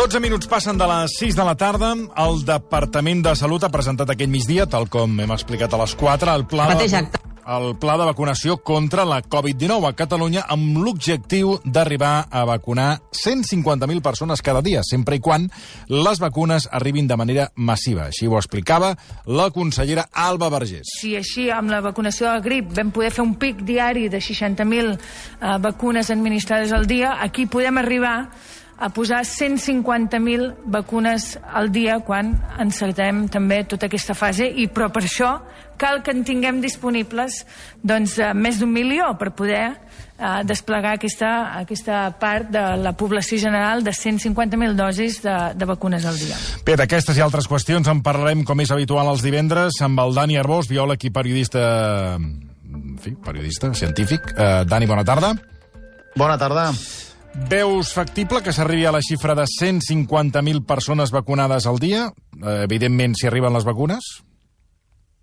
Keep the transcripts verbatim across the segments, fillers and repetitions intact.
dotze minuts passen de les sis de la tarda. El Departament de Salut ha presentat aquest migdia, tal com hem explicat a les quatre, el pla de, el pla de vacunació contra la covid dinou a Catalunya amb l'objectiu d'arribar a vacunar cent cinquanta mil persones cada dia, sempre i quan les vacunes arribin de manera massiva. Així ho explicava la consellera Alba Vergés. Si així amb la vacunació de la grip vam poder fer un pic diari de seixanta mil eh, vacunes administrades al dia, aquí podem arribar a posar cent cinquanta mil vacunes al dia quan encetem també tota aquesta fase, i però per això cal que en tinguem disponibles doncs, més d'un milió per poder eh, desplegar aquesta, aquesta part de la població general de cent cinquanta mil dosis de, de vacunes al dia. Bé, d'aquestes i altres qüestions en parlarem, com és habitual els divendres, amb el Dani Arbós, biòleg i periodista, en fi, periodista científic. Eh, Dani, bona tarda. Bona tarda. Veus factible que s'arribi a la xifra de cent cinquanta mil persones vacunades al dia? Eh, evidentment, si arriben les vacunes?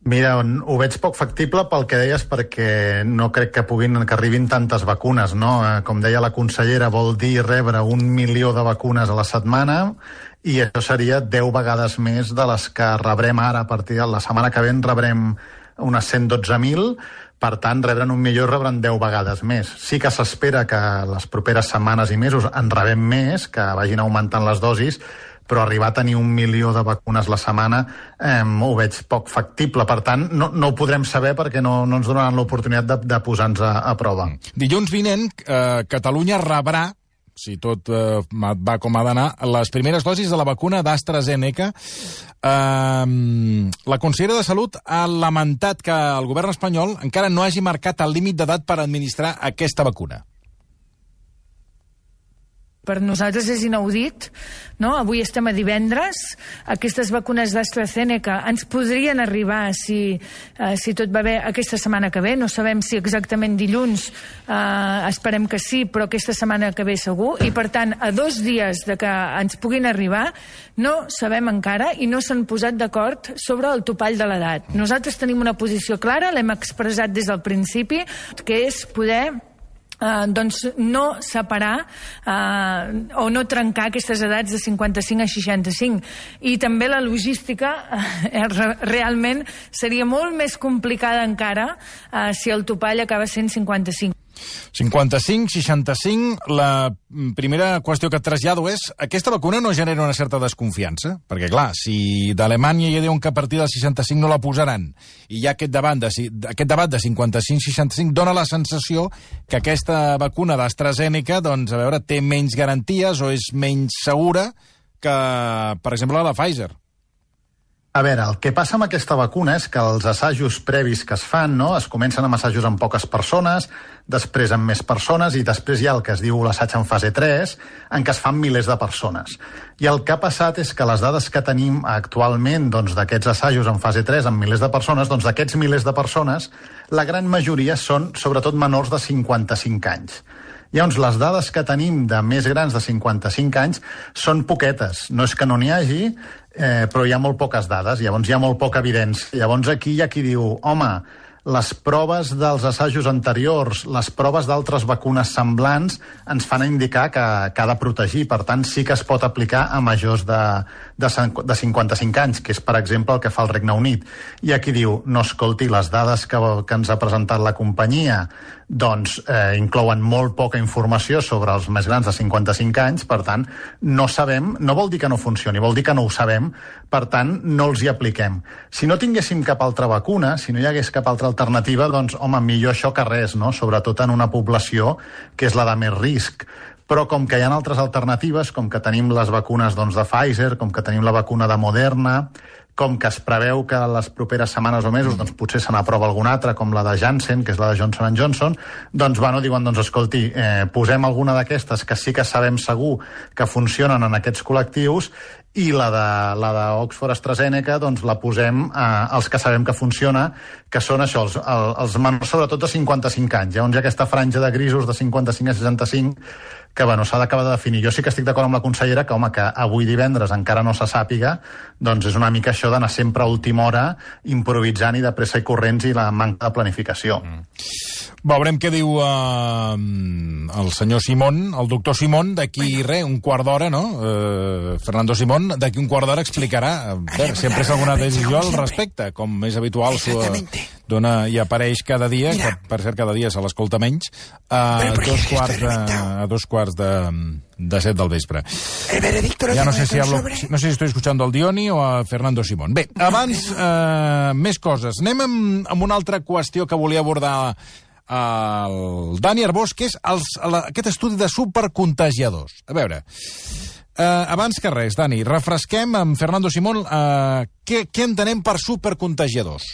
Mira, ho veig poc factible pel que deies, perquè no crec que puguin que arribin tantes vacunes, no? Com deia la consellera, vol dir rebre un milió de vacunes a la setmana, i això seria deu vegades més de les que rebrem ara. A partir de la setmana que ve en rebrem unes cent dotze mil, per tant, rebran un milió i rebran deu vegades més. Sí que s'espera que les properes setmanes i mesos en rebem més, que vagin augmentant les dosis, però arribar a tenir un milió de vacunes la setmana eh, ho veig poc factible. Per tant, no, no ho podrem saber perquè no, no ens donaran l'oportunitat de, de posar-nos a, a prova. Dilluns vinent, eh, Catalunya rebrà, si tot eh, va com ha d'anar, les primeres dosis de la vacuna d'AstraZeneca. Eh, la consellera de Salut ha lamentat que el govern espanyol encara no hagi marcat el límit d'edat per administrar aquesta vacuna. Per nosaltres és inaudit, no? Avui estem a divendres, aquestes vacunes d'AstraZeneca ens podrien arribar si, eh, si tot va bé aquesta setmana que ve, no sabem si exactament dilluns, eh, esperem que sí, però aquesta setmana que ve segur, i per tant, a dos dies de que ens puguin arribar, no sabem encara i no s'han posat d'acord sobre el topall de l'edat. Nosaltres tenim una posició clara, l'hem expressat des del principi, que és poder Uh, doncs no separar uh, o no trencar aquestes edats de cinquanta-cinc a seixanta-cinc, i també la logística uh, realment seria molt més complicada encara uh, si el topall acaba sent cinquanta-cinc. cinquanta-cinc, seixanta-cinc, la primera qüestió que et trasllado és, aquesta vacuna no genera una certa desconfiança? Perquè, clar, si d'Alemanya ja diuen que a partir del seixanta-cinc no la posaran, i hi ha aquest debat de, aquest debat de cinquanta-cinc seixanta-cinc, dona la sensació que aquesta vacuna d'AstraZeneca, doncs, a veure, té menys garanties o és menys segura que, per exemple, la de Pfizer. A veure, el que passa amb aquesta vacuna és que els assajos previs que es fan, no? Es comencen amb assajos amb poques persones, després amb més persones, i després hi ha el que es diu l'assaig en fase tres, en què es fan milers de persones. I el que ha passat és que les dades que tenim actualment doncs, d'aquests assajos en fase tres amb milers de persones, doncs d'aquests milers de persones, la gran majoria són sobretot menors de cinquanta-cinc anys. Llavors, les dades que tenim de més grans de cinquanta-cinc anys són poquetes. No és que no n'hi hagi, eh, però hi ha molt poques dades, llavors hi ha molt poca evidència. Llavors aquí hi ha qui diu, home, les proves dels assajos anteriors, les proves d'altres vacunes semblants, ens fan indicar que, que ha de protegir. Per tant, sí que es pot aplicar a majors de, de, de cinquanta-cinc anys, que és, per exemple, el que fa el Regne Unit. I aquí diu, no, escolti, les dades que, que ens ha presentat la companyia doncs eh, inclouen molt poca informació sobre els més grans de cinquanta-cinc anys, per tant, no sabem, no vol dir que no funcioni, vol dir que no ho sabem, per tant, no els hi apliquem. Si no tinguéssim cap altra vacuna, si no hi hagués cap altra alternativa, doncs, home, millor això que res, no? Sobretot en una població que és la de més risc. Però com que hi ha altres alternatives, com que tenim les vacunes doncs, de Pfizer, com que tenim la vacuna de Moderna, com que es preveu que les properes setmanes o mesos doncs, potser se n'aprova alguna altra, com la de Janssen, que és la de Johnson and Johnson, doncs, bueno, diuen, doncs, escolti, eh, posem alguna d'aquestes que sí que sabem segur que funcionen en aquests col·lectius, i la de, la de Oxford AstraZeneca doncs, la posem eh, als que sabem que funciona, que són això, els, els menors sobretot de cinquanta-cinc anys. Llavors hi ha aquesta franja de grisos de cinquanta-cinc a seixanta-cinc que bueno, s'ha d'acabar de definir. Jo sí que estic d'acord amb la consellera que, home, que avui divendres encara no se sàpiga, doncs és una mica això això d'anar sempre a última hora improvisant i de pressa i corrents i la manca de planificació. Mm. Veurem què diu uh, el senyor Simón, el doctor Simón, d'aquí res, un quart d'hora, no? Uh, Fernando Simón, d'aquí un quart d'hora explicarà, uh, veure, si ha pres alguna decisió al respecte, com és habitual, uh, dona, i apareix cada dia, que per cert cada dia se l'escolta menys, a uh, dos quarts de, a dos quarts de, de set del vespre. Ja no sé si hablo, no sé si estoy escuchando al Dioni o a Fernando Simón. Bé, abans, uh, més coses. Anem amb, amb una altra qüestió que volia abordar el Dani Arbós, que és els, la, aquest estudi de supercontagiadors. A veure, eh, abans que res, Dani, refresquem amb Fernando Simón eh, què, què entenem per supercontagiadors.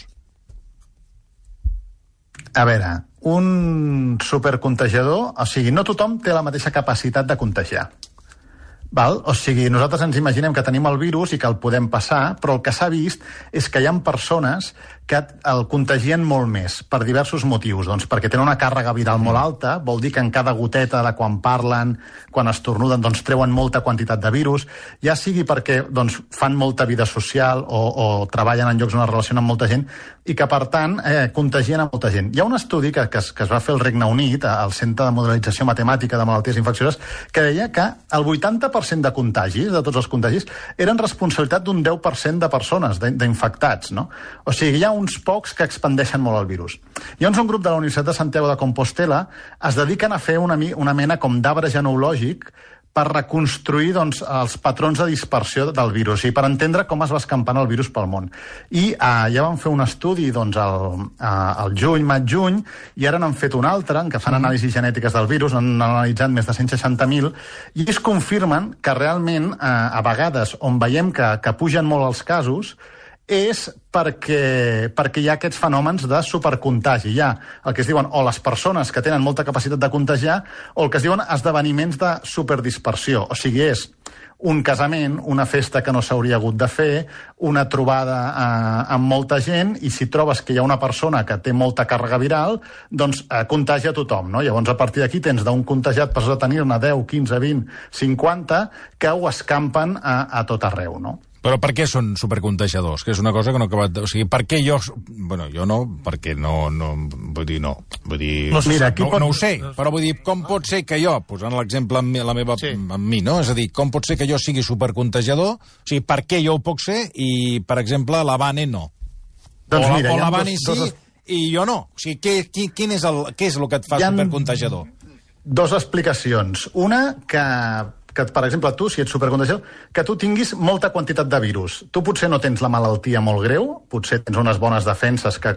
A veure, un supercontagiador, o sigui, no tothom té la mateixa capacitat de contagiar. Val? O sigui, nosaltres ens imaginem que tenim el virus i que el podem passar, però el que s'ha vist és que hi ha persones que el contagien molt més, per diversos motius. Doncs perquè tenen una càrrega viral molt alta, vol dir que en cada goteta de quan parlen, quan estornuden, doncs treuen molta quantitat de virus, ja sigui perquè doncs, fan molta vida social o, o treballen en llocs on es relacionen amb molta gent, i que, per tant, eh, contagien a molta gent. Hi ha un estudi que, que, es, que es va fer al Regne Unit, al Centre de Modelització Matemàtica de Malalties Infeccioses, que deia que el vuitanta per cent de contagis, de tots els contagis, eren responsabilitat d'un deu per cent de persones, d'infectats, no? O sigui, hi ha uns pocs que expandeixen molt el virus. Llavors, un grup de la Universitat de Santiago de Compostela es dediquen a fer una, una mena com d'arbre genealògic per reconstruir doncs, els patrons de dispersió del virus i per entendre com es va escampant el virus pel món. I eh, ja van fer un estudi doncs, al, al juny, maig-juny, i ara n'han fet un altre, en què fan anàlisis genètiques del virus, han analitzat més de cent seixanta mil, i es confirmen que realment, eh, a vegades, on veiem que, que pugen molt els casos, és perquè, perquè hi ha aquests fenòmens de supercontagi. Hi ha el que es diuen o les persones que tenen molta capacitat de contagiar o el que es diuen esdeveniments de superdispersió. O sigui, és un casament, una festa que no s'hauria hagut de fer, una trobada eh, amb molta gent, i si trobes que hi ha una persona que té molta càrrega viral, doncs eh, contagia a tothom, no? Llavors, a partir d'aquí tens d'un contagiat per tenir-ne deu, quinze, vint, cinquanta, que ho escampen a, a tot arreu, no? Però per què són supercontagiadors? Que és una cosa que no he acabat de... O sigui, per què jo... Bueno, jo no, perquè no... no vull dir, no. Vull dir... No, Mira, no, pot... no ho sé, però vull dir, com pot ser que jo, posant l'exemple amb la meva, sí. amb mi, no? És a dir, com pot ser que jo sigui supercontagiador? O sigui, per què jo ho puc ser i, per exemple, la Vane no? Doncs o mira, o la Vane dos, sí dos... i jo no. O sigui, què, quin, quin és el, què és el que et fa supercontagiador? Dos explicacions. Una, que... que, per exemple, tu, si ets supercontagiador, que tu tinguis molta quantitat de virus. Tu potser no tens la malaltia molt greu, potser tens unes bones defenses, que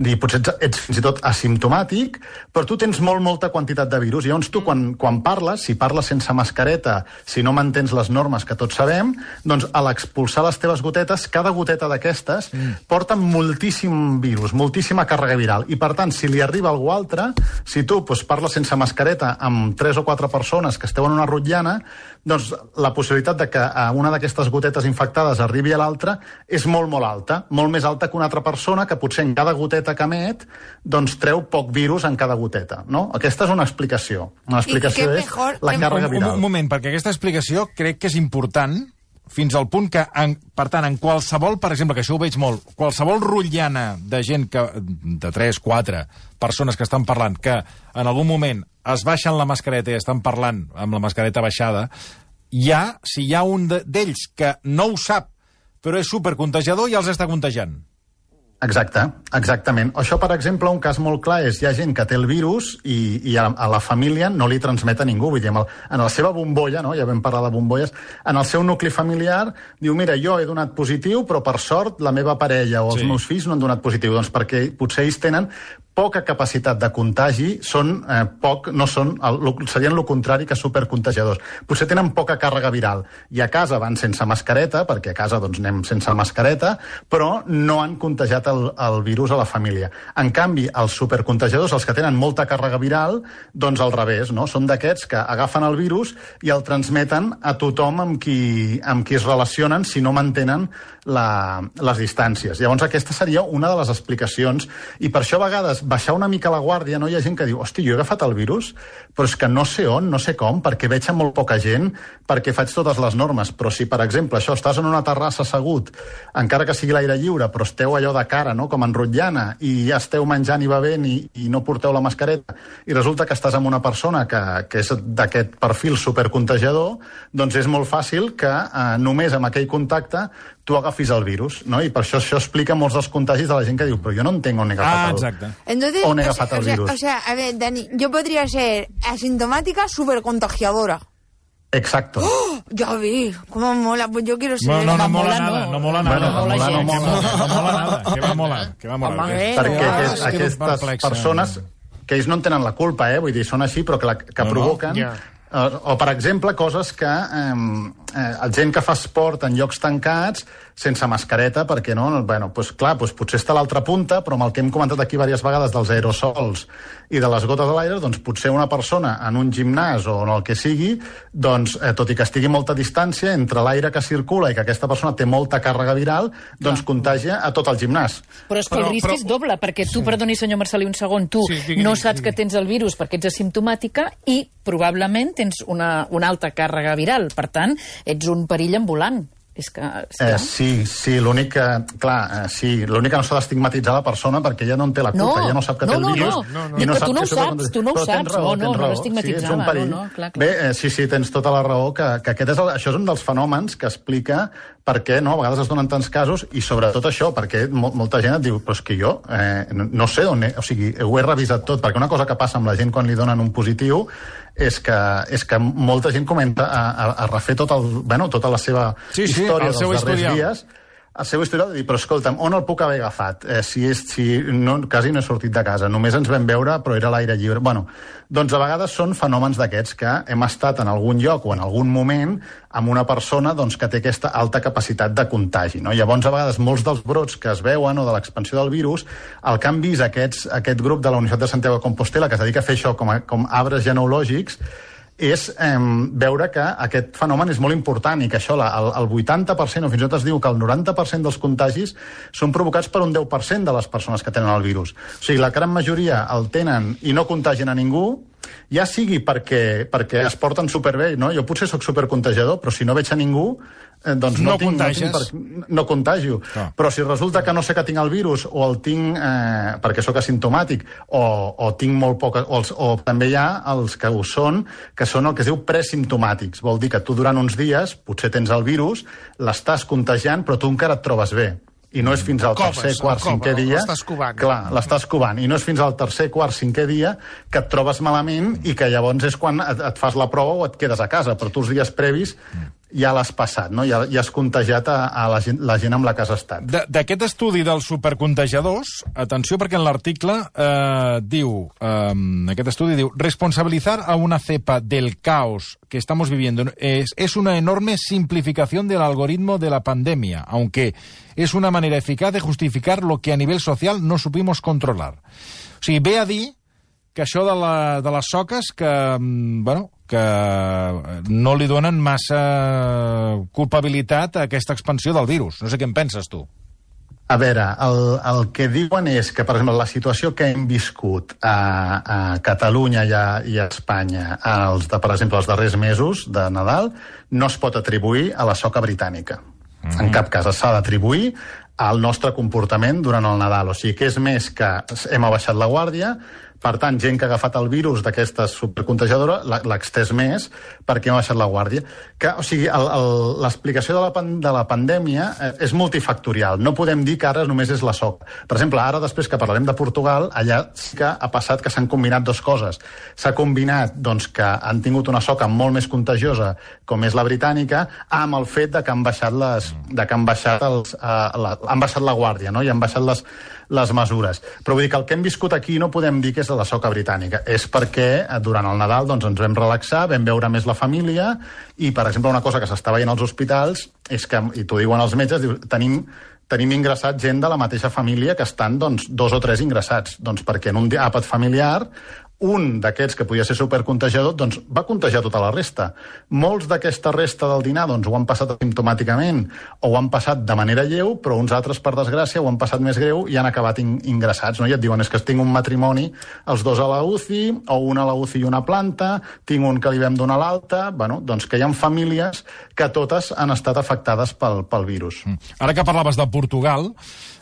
i potser ets, ets fins i tot asimptomàtic, però tu tens molt, molta quantitat de virus. I llavors tu, quan, quan parles, si parles sense mascareta, si no mantens les normes que tots sabem, doncs a l'expulsar les teves gotetes, cada goteta d'aquestes mm. porta moltíssim virus, moltíssima càrrega viral. I, per tant, si li arriba a algú altre, si tu doncs, parles sense mascareta amb tres o quatre persones que esteu en una rotllana, doncs la possibilitat de que una d'aquestes gotetes infectades arribi a l'altra és molt, molt alta, molt més alta que una altra persona que potser en cada goteta que emet doncs treu poc virus en cada goteta, no? Aquesta és una explicació. Una explicació és mejor, la càrrega viral. Un, un moment, perquè aquesta explicació crec que és important fins al punt que, en, per tant, en qualsevol, per exemple, que això ho veig molt, qualsevol rotllana de gent que, de tres, quatre persones que estan parlant, que en algun moment es baixen la mascareta i estan parlant amb la mascareta baixada, hi ha, si hi ha un d'ells que no ho sap, però és supercontagiador, ja els està contagiant. Exacte, exactament. Això, per exemple, un cas molt clar és hi ha gent que té el virus i, i a, a la família no li transmet a ningú. Vull dir, en, el, en la seva bombolla, no? Ja vam parlar de bombolles, en el seu nucli familiar diu, mira, jo he donat positiu, però per sort la meva parella o els sí. meus fills no han donat positiu. Doncs perquè potser ells tenen poca capacitat de contagi, són eh, poc, no són, el, serien el contrari que supercontagiadors. Potser tenen poca càrrega viral. I a casa van sense mascareta, perquè a casa doncs, anem sense mascareta, però no han contagiat afecta el, el virus a la família. En canvi, els supercontagiadors, els que tenen molta càrrega viral, doncs al revés, no? Són d'aquests que agafen el virus i el transmeten a tothom amb qui, amb qui es relacionen si no mantenen la, les distàncies. Llavors, aquesta seria una de les explicacions. I per això, a vegades, baixar una mica la guàrdia, no? Hi ha gent que diu, hosti, jo he agafat el virus, però és que no sé on, no sé com, perquè veig amb molt poca gent, perquè faig totes les normes. Però si, per exemple, això, estàs en una terrassa assegut, encara que sigui l'aire lliure, però esteu allò de cara, no?, com en rotllana, i ja esteu menjant i bevent i, i no porteu la mascareta, i resulta que estàs amb una persona que, que és d'aquest perfil supercontagiador, doncs és molt fàcil que eh, només amb aquell contacte tu agafis el virus, no? I per això això explica molts dels contagis de la gent que diu, però jo no entenc on he agafat, ah, el, exacte. Entonces, on he o agafat sea, el virus. O sea, a ver, Dani, yo podría ser asintomática supercontagiadora. Exacto. ¡Oh! Ya vi, cómo mola, pues yo quiero ser... No, no, no mola mola, nada, no. no mola nada. Bueno, no mola mola, gens, no mola. no mola nada. Que va molar, que va molar. Home, Que- eh, Perquè no, aquest, és que aquestes perplexa. persones, que ells no en tenen la culpa, eh? Vull dir, són així, però que, la, que No, no. provoquen... Ja. Eh, o, per exemple, coses que... Eh, eh, gent que fa esport en llocs tancats, sense mascareta, perquè no? Bueno, doncs clar, doncs potser està a l'altra punta, però amb el que hem comentat aquí diverses vegades dels aerosols i de les gotes a l'aire, doncs potser una persona en un gimnàs o en el que sigui, doncs, eh, tot i que estigui a molta distància, entre l'aire que circula i que aquesta persona té molta càrrega viral, doncs contagia a tot el gimnàs. Però és que el Però- risc però- és doble, perquè tu, perdoni, senyor Marcelí, un segon, tu Sí, digui, no digui, saps digui. que tens el virus perquè ets asimptomàtica i probablement tens una, una alta càrrega viral. Per tant, ets un perill ambulant. És que... És Eh, que... sí, sí, l'únic que... Clar, eh, sí, l'únic que no s'ha d'estigmatitzar la persona perquè ella no en té la culpa, No, ella no sap que no, té el no, virus. no. No, no. i Dic que tu no ho que saps, tu no ho Però tens saps. raó, No, no, tens no raó. l'estigmatitzava, Sí, és un perill. no, no, clar, clar. Bé, eh, sí, sí, tens tota la raó, que, que aquest és el, això és un dels fenòmens que explica per què no, a vegades es donen tants casos, i sobretot això, perquè mo molta gent et diu, però és que jo eh, no, no sé on he, o sigui, ho he revisat tot, perquè una cosa que passa amb la gent quan li donen un positiu és que, és que molta gent comenta a, a, a refer tot el, bueno, tota la seva Sí, sí, història el dels seu darrers historial. dies, el seu historial, de dir, però escolta'm, on el puc haver agafat? Eh, si és, si no, quasi no he sortit de casa, només ens vam veure, però era a l'aire lliure. Bueno, doncs a vegades són fenòmens d'aquests que hem estat en algun lloc o en algun moment amb una persona doncs, que té aquesta alta capacitat de contagi. No? Llavors, a vegades, molts dels brots que es veuen o de l'expansió del virus, el que han vist aquests, aquest grup de la Universitat de Santiago de Compostela, que es dedica a fer això com, a, com arbres genealògics, és eh, veure que aquest fenomen és molt important i que això, la, el, el vuitanta per cent, o fins i tot es diu que el noranta per cent dels contagis són provocats per un deu per cent de les persones que tenen el virus. O sigui, la gran majoria el tenen i no contagien a ningú, ja sigui perquè, perquè es porten superbé, no? Jo potser sóc supercontagiador, però si no veig a ningú, eh, doncs no, No tinc, no, contagies. tinc per, no contagio. Ah. Però si resulta que no sé que tinc el virus o el tinc eh, perquè sóc asimptomàtic o, o tinc molt poc... O, els, o també hi ha els que ho són, que són el que es diu presimptomàtics. Vol dir que tu durant uns dies potser tens el virus, l'estàs contagiant, però tu encara et trobes bé. I no és fins al Coves, tercer, quart, el cova, cinquè dia... l'estàs covant. Clar, l'estàs covant. I no és fins al tercer, quart, cinquè dia que et trobes malament i que llavors és quan et, et fas la prova o et quedes a casa. Però tu els dies previs ja l'has passat, no? Ja, ja has contagiat a, a la, gent, la gent amb la que has estat. De- D'aquest estudi dels supercontagiadors, atenció perquè en l'article eh, diu, eh, aquest estudi diu, responsabilizar a una cepa del caos que estamos viviendo es, es una enorme simplificación del algoritmo de la pandemia, aunque es una manera eficaz de justificar lo que a nivel social no supimos controlar. O sigui, ve a dir que això de, la, de les soques que, mm, bueno, que no li donen massa culpabilitat a aquesta expansió del virus. No sé què en penses, tu. A veure, el, el que diuen és que, per exemple, la situació que hem viscut a, a Catalunya i a, i a Espanya, els de, per exemple, els darrers mesos de Nadal, no es pot atribuir a la soca britànica. Mm. En cap cas s'ha d'atribuir al nostre comportament durant el Nadal. O sigui que és més que hem abaixat la guàrdia, per tant, gent que ha agafat el virus d'aquesta supercontagiadora l'ha extès més perquè hem baixat la guàrdia. Que, o sigui, l'explicació de, la, de la pandèmia eh, és multifactorial. No podem dir que ara només és la soca. Per exemple, ara, després que parlarem de Portugal, allà sí que ha passat que s'han combinat dues coses. S'ha combinat doncs, que han tingut una soca molt més contagiosa, com és la britànica, amb el fet de que han baixat, les, de que han baixat, els, eh, la, han baixat la guàrdia, no? I han baixat les, les mesures. Però vull dir que el que hem viscut aquí no podem dir que és de la soca britànica. És perquè durant el Nadal doncs, ens vam relaxar, vam veure més la família i, per exemple, una cosa que s'està veient als hospitals és que, i t'ho diuen els metges, diu, tenim tenim ingressat gent de la mateixa família que estan doncs, dos o tres ingressats. Doncs perquè en un àpat familiar un d'aquests que podia ser supercontagiador doncs va contagiar tota la resta. Molts d'aquesta resta del dinar doncs, ho han passat asimptomàticament o ho han passat de manera lleu, però uns altres, per desgràcia, ho han passat més greu i han acabat in ingressats. No? I et diuen, és que tinc un matrimoni, els dos a la U C I, o un a la U C I i una planta, tinc un que li vam donar l'alta... Bueno, doncs que hi ha famílies que totes han estat afectades pel, pel virus. Ara que parlaves de Portugal,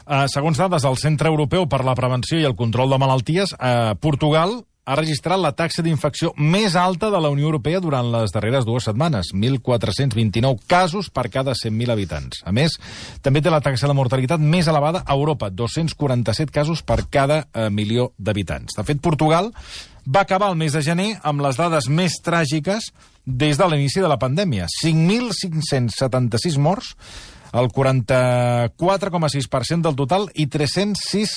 eh, segons dades del Centre Europeu per la Prevenció i el Control de Malalties, eh, Portugal ha registrat la taxa d'infecció més alta de la Unió Europea durant les darreres dues setmanes, mil quatre-cents vint-i-nou casos per cada cent mil habitants. A més, també té la taxa de mortalitat més elevada a Europa, dos-cents quaranta-set casos per cada eh, milió d'habitants. De fet, Portugal va acabar el mes de gener amb les dades més tràgiques des de l'inici de la pandèmia. cinc mil cinc-cents setanta-sis morts, el quaranta-quatre coma sis per cent del total, i tres-cents sis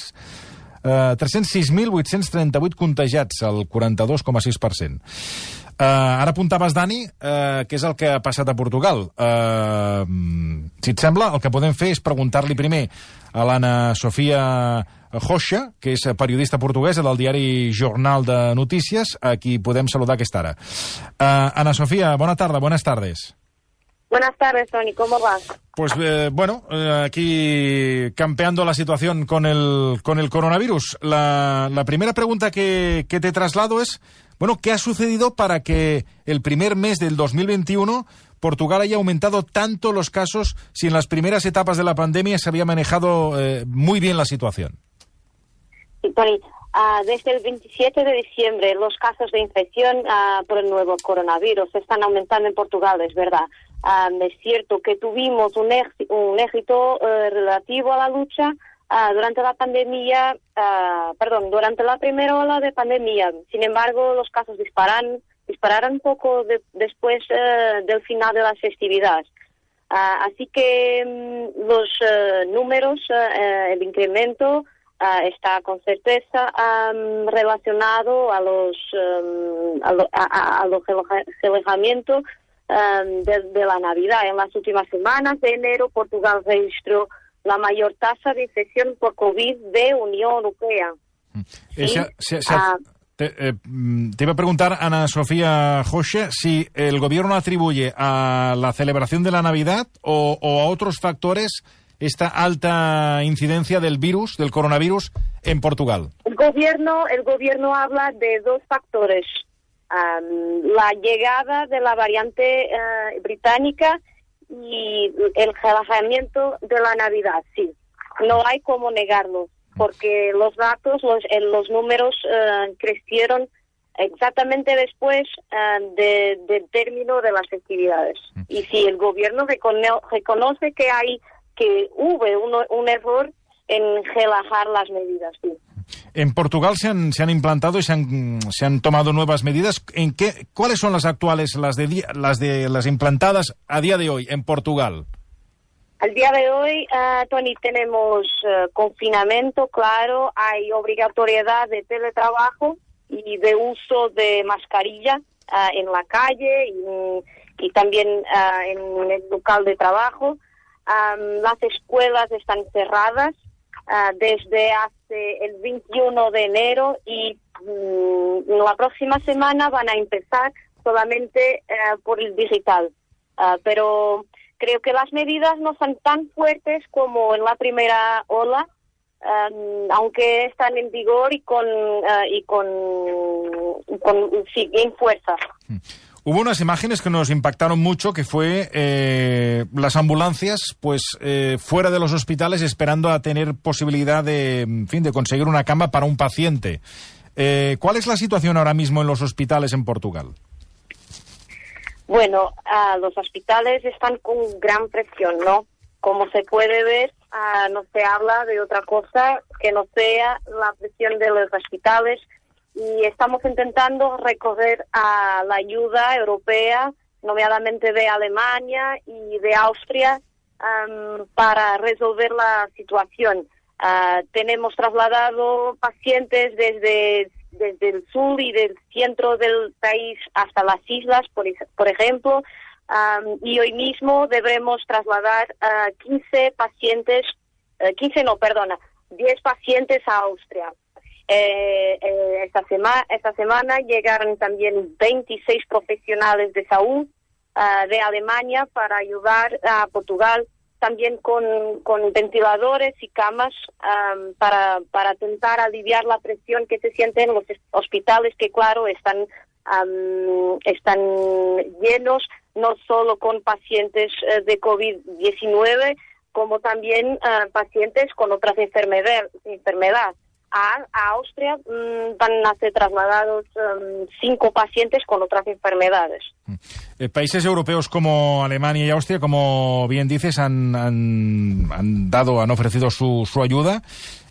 Uh, tres-cents sis mil vuit-cents trenta-vuit contagiats, el quaranta-dos coma sis per cent. Uh, ara apuntaves, Dani, uh, què és el que ha passat a Portugal. Uh, si et sembla, el que podem fer és preguntar-li primer a l'Anna Sofia Rocha, que és periodista portuguesa del diari Jornal de Notícies, a qui podem saludar a aquesta hora. Uh, Ana Sofia, bona tarda, buenas tardes. Buenas tardes, Toni, ¿cómo vas? Pues eh, bueno, eh, aquí campeando la situación con el, con el coronavirus. La, la primera pregunta que, que te traslado es, bueno, ¿qué ha sucedido para que el primer mes del dos mil veintiuno Portugal haya aumentado tanto los casos si en las primeras etapas de la pandemia se había manejado eh, muy bien la situación? Sí, Toni, uh, desde el veintisiete de diciembre los casos de infección uh, por el nuevo coronavirus están aumentando en Portugal, es verdad. Um, es cierto que tuvimos un, un éxito uh, relativo a la lucha uh, durante la pandemia, uh, perdón, durante la primera ola de pandemia. Sin embargo, los casos disparan, dispararon un poco de, después uh, del final de las festividades. Uh, así que um, los uh, números, uh, el incremento uh, está con certeza um, relacionado a los um, a, lo, a, a los relajamientos De, de la Navidad. En las últimas semanas de enero, Portugal registró la mayor tasa de infección por COVID de Unión Europea. Esa, ¿Sí? se, se, uh, te, eh, te iba a preguntar, Ana Sofía Rocha, si el gobierno atribuye a la celebración de la Navidad o, o a otros factores esta alta incidencia del virus, del coronavirus, en Portugal. El gobierno, el gobierno habla de dos factores. Um, la llegada de la variante uh, británica y el relajamiento de la Navidad, sí. No hay cómo negarlo, porque los datos, los, los números uh, crecieron exactamente después uh, de, del término de las festividades. Y si el gobierno recono reconoce que hay que hubo un, un error en relajar las medidas, sí. En Portugal se han, se han implantado y se han, se han tomado nuevas medidas. ¿En qué, ¿Cuáles son las actuales, las de, las de las implantadas a día de hoy en Portugal? Al día de hoy, uh, Toni, tenemos uh, confinamiento, claro, hay obligatoriedad de teletrabajo y de uso de mascarilla uh, en la calle y, y también uh, en el local de trabajo. Um, las escuelas están cerradas Uh, desde hace el veintiuno de enero y um, la próxima semana van a empezar solamente uh, por el digital. Uh, pero creo que las medidas no son tan fuertes como en la primera ola, um, aunque están en vigor y con, uh, y con, con sí, en fuerza. Mm. Hubo unas imágenes que nos impactaron mucho, que fue eh, las ambulancias pues eh, fuera de los hospitales esperando a tener posibilidad de, en fin, de conseguir una cama para un paciente. Eh, ¿Cuál es la situación ahora mismo en los hospitales en Portugal? Bueno, uh, los hospitales están con gran presión, ¿no? Como se puede ver, uh, no se habla de otra cosa que no sea la presión de los hospitales. Y estamos intentando recurrir a la ayuda europea, nomeadamente de Alemania y de Austria, um, para resolver la situación. Uh, tenemos trasladado pacientes desde, desde el sur y del centro del país hasta las islas, por, por ejemplo, um, y hoy mismo debemos trasladar a uh, quince pacientes eh, quince no, perdona, diez pacientes a Austria. Eh, eh, esta, sema, esta semana llegaron también veintiséis profesionales de salud uh, de Alemania para ayudar a Portugal también con, con ventiladores y camas um, para, para intentar aliviar la presión que se siente en los hospitales que, claro, están, um, están llenos no solo con pacientes uh, de COVID diecinueve, como también uh, pacientes con otras enfermedades. Enfermedad. A, a Austria mmm, van a ser trasladados um, cinco pacientes con otras enfermedades. Eh, países europeos como Alemania y Austria, como bien dices, han, han, han dado, han ofrecido su, su ayuda.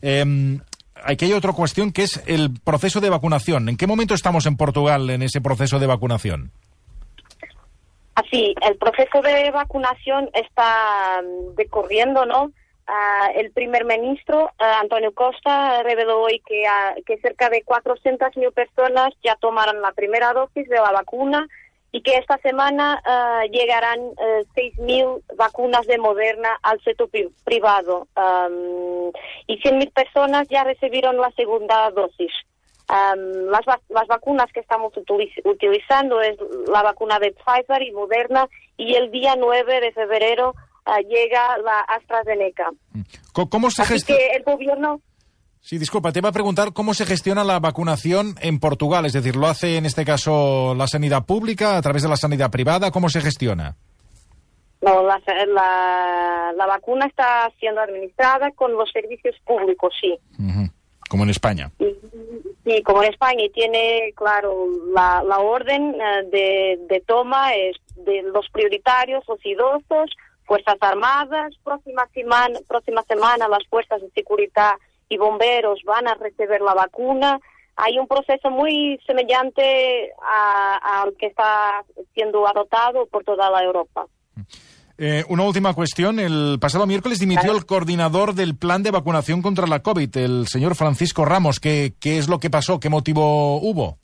Eh, aquí hay otra cuestión que es el proceso de vacunación. ¿En qué momento estamos en Portugal en ese proceso de vacunación? Así, el proceso de vacunación está um, decorriendo, ¿no? Uh, el primer ministro, uh, António Costa, reveló hoy que, uh, que cerca de cuatrocientas mil personas ya tomaron la primera dosis de la vacuna y que esta semana uh, llegarán uh, seis mil vacunas de Moderna al sector pri privado. Um, y cien mil personas ya recibieron la segunda dosis. Um, las, va las vacunas que estamos utiliz utilizando es la vacuna de Pfizer y Moderna, y el día nueve de febrero Uh, llega la AstraZeneca. ¿Cómo se gestiona? Así que el gobierno... Sí, disculpa, te iba a preguntar cómo se gestiona la vacunación en Portugal. Es decir, ¿lo hace en este caso la sanidad pública, a través de la sanidad privada? ¿Cómo se gestiona? No, la, la, la vacuna está siendo administrada con los servicios públicos, sí. Uh-huh. Como en España. Sí, sí, como en España. Y tiene, claro, la, la orden uh, de, de toma es de los prioritarios, los idosos, Fuerzas Armadas. Próxima semana, próxima semana las fuerzas de seguridad y bomberos van a recibir la vacuna. Hay un proceso muy semejante al que está siendo adoptado por toda la Europa. Eh, una última cuestión. El pasado miércoles dimitió claro. el coordinador del plan de vacunación contra la COVID, el señor Francisco Ramos. ¿Qué, qué es lo que pasó? ¿Qué motivo hubo?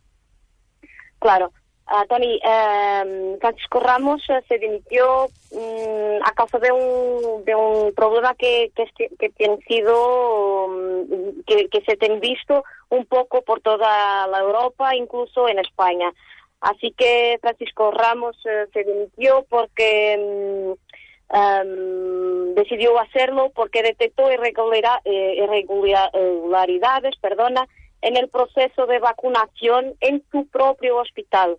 Claro. Uh, Tony, uh, Francisco Ramos uh, se dimitió um, a causa de un, de un problema que, que, que, tiene sido, um, que, que se ha visto un poco por toda la Europa, incluso en España. Así que Francisco Ramos uh, se dimitió porque um, um, decidió hacerlo porque detectó irregularidad, eh, irregularidades perdona, en el proceso de vacunación en su propio hospital.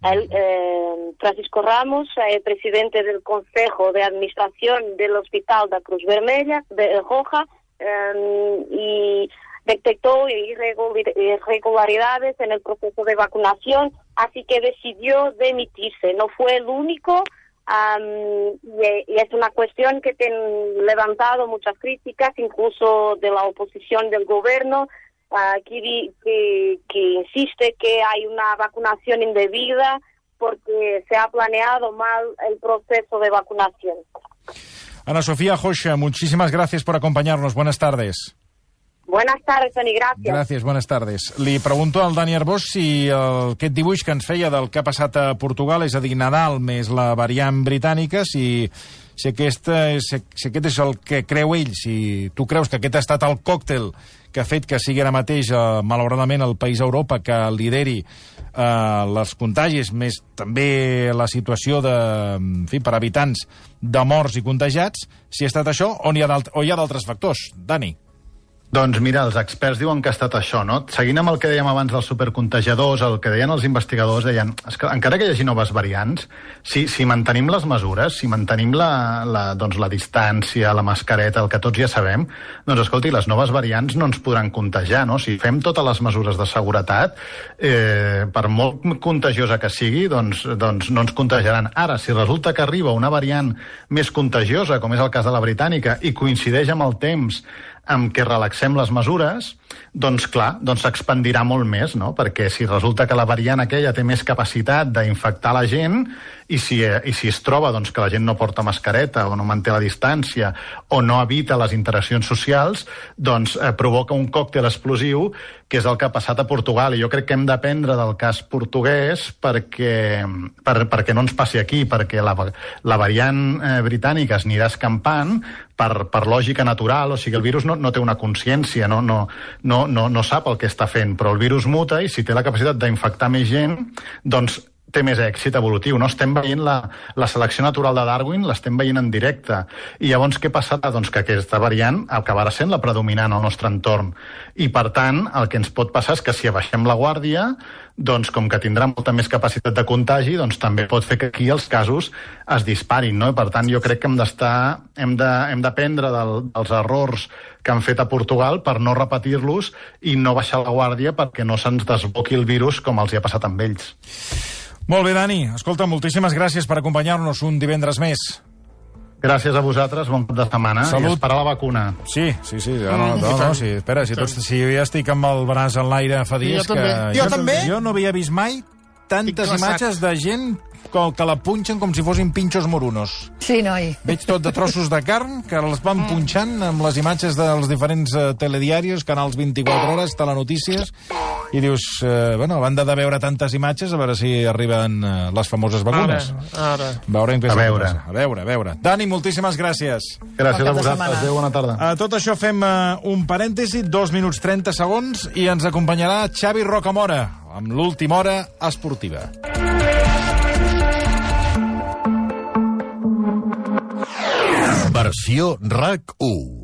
El, eh, Francisco Ramos, eh, presidente del Consejo de Administración del Hospital de Cruz Vermella, de Roja, eh, y detectó irregularidades en el proceso de vacunación, así que decidió demitirse. No fue el único, um, y, y es una cuestión que han levantado muchas críticas, incluso de la oposición del gobierno, Uh, que, que, que insiste que hay una vacunación indebida porque se ha planeado mal el proceso de vacunación. Ana Sofía Joxa, muchísimas gracias por acompañarnos. Buenas tardes. Buenas tardes, Toni, gràcies. Gràcies, buenas tardes. Li pregunto al Dani Arbós si el, aquest dibuix que ens feia del que ha passat a Portugal, és a dir, Nadal més la variant britànica, si, si, aquesta és, si aquest és el que creu ell, si tu creus que aquest ha estat el còctel que ha fet que sigui ara mateix, eh, malauradament, el país d'Europa que lideri eh, els contagis, més també la situació de, en fi, per habitants de morts i contagiats, si ha estat això o hi ha d'altres factors. Dani. Doncs mira, els experts diuen que ha estat això, no? Seguint amb el que dèiem abans dels supercontagiadors, el que deien els investigadors, deien, és que encara que hi hagi noves variants, si, si mantenim les mesures, si mantenim la, la, doncs, la distància, la mascareta, el que tots ja sabem, doncs escolti, les noves variants no ens podran contagiar, no? Si fem totes les mesures de seguretat, eh, per molt contagiosa que sigui, doncs, doncs no ens contagiaran. Ara, si resulta que arriba una variant més contagiosa, com és el cas de la britànica, i coincideix amb el temps amb què relaxem les mesures, doncs clar, doncs s'expandirà molt més, no? Perquè si resulta que la variant aquella té més capacitat d'infectar la gent i si, i si es troba doncs, que la gent no porta mascareta o no manté la distància o no evita les interaccions socials, doncs eh, provoca un còctel explosiu, que és el que ha passat a Portugal. I jo crec que hem d'aprendre del cas portuguès perquè, per, perquè no ens passi aquí, perquè la, la variant eh, britànica es anirà escampant per, per lògica natural, o sigui, el virus no, no té una consciència, no, no, no, no, no sap el que està fent, però el virus muta i si té la capacitat d'infectar més gent, doncs té més èxit evolutiu, no? Estem veient la, la selecció natural de Darwin, l'estem veient en directe. I llavors què passarà? Doncs que aquesta variant acabarà sent la predominant al nostre entorn. I, per tant, el que ens pot passar és que si abaixem la guàrdia, doncs com que tindrà molta més capacitat de contagi, doncs també pot fer que aquí els casos es disparin, no? I, per tant, jo crec que hem d'estar, hem de, hem d'aprendre del, dels errors que han fet a Portugal per no repetir-los i no baixar la guàrdia perquè no se'ns desboqui el virus com els hi ha passat amb ells. Molt bé, Dani. Escolta, moltíssimes gràcies per acompanyar-nos un divendres més. Gràcies a vosaltres, bon cap de setmana. Salut. I esperar la vacuna. Sí, sí, sí. No, no, no, no sí. Espera, si, tots, si jo ja estic amb el braç en l'aire fa dies jo que... També. Jo, jo també. Jo no havia vist mai tantes imatges de gent que la punxen com si fossin pinxos morunos. Sí, noi. Veig tot de trossos de carn que els van punxant amb les imatges dels diferents uh, telediaris, canals vint-i-quatre hores, telenotícies, i dius, uh, bueno, a banda de veure tantes imatges, a veure si arriben uh, les famoses vacunes. Ara, ara. Veurem què a veure. A veure, a veure. Dani, moltíssimes gràcies. Gràcies a vosaltres. Adéu, bona tarda. A tot això fem uh, un parèntesi, dos minuts trenta segons, i ens acompanyarà Xavi Rocamora, amb l'última hora esportiva. Versió RAC u.